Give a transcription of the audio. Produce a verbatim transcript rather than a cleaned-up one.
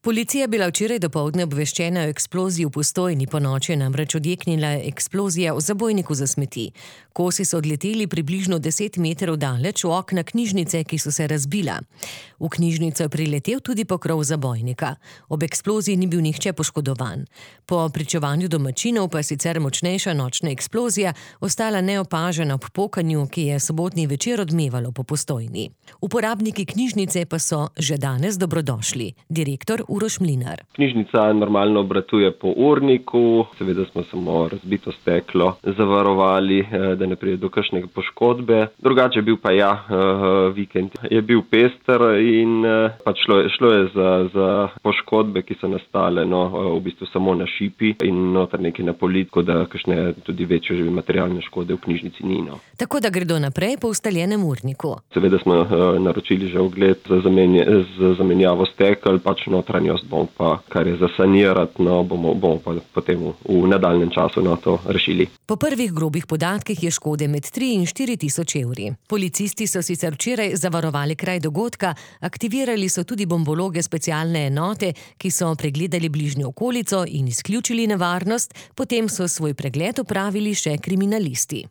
Policija je bila včeraj dopoldne obveščena o eksploziji v Postojni, ponoči je namreč odjeknila eksplozija v zabojniku za smeti. Kosi so odleteli približno deset metrov daleč v okna knjižnice, ki so se razbila. V knjižnico je priletel tudi pokrov zabojnika. Ob eksploziji ni bil nihče poškodovan. Po pričevanju domačinov pa sicer močnejša nočna eksplozija ostala neopažena ob pokanju, ki je sobotni večer odmevalo po Postojni. Uporabniki knjižnice pa so že danes dobrodošli. Direktor Uroš Mlinar. Knjižnica normalno obratuje po urniku, seveda smo samo razbito steklo zavarovali, da ne pride do kakšne poškodbe. Drugače je bil pa ja, vikend je bil pester in pač šlo je, šlo je za, za poškodbe, ki so nastale no, v bistvu samo na šipi in noter nekaj na politku, da kakšne tudi večje že materialne škode v knjižnici ni. No. Tako da gredo naprej po ustaljenem urniku. Seveda smo naročili že ogled za, zamenje, za zamenjavo stekel, pač notranjost bomo pa, kar je za sanirati, no, bomo, bomo pa potem v, v nadaljnem času na to rešili. Po prvih grobih podatkih je škode med tri in štiri tisoč evri. Policisti so sicer včeraj zavarovali kraj dogodka, aktivirali so tudi bombologe specialne enote, ki so pregledali bližnjo okolico in izključili nevarnost, potem so svoj pregled opravili še kriminalisti.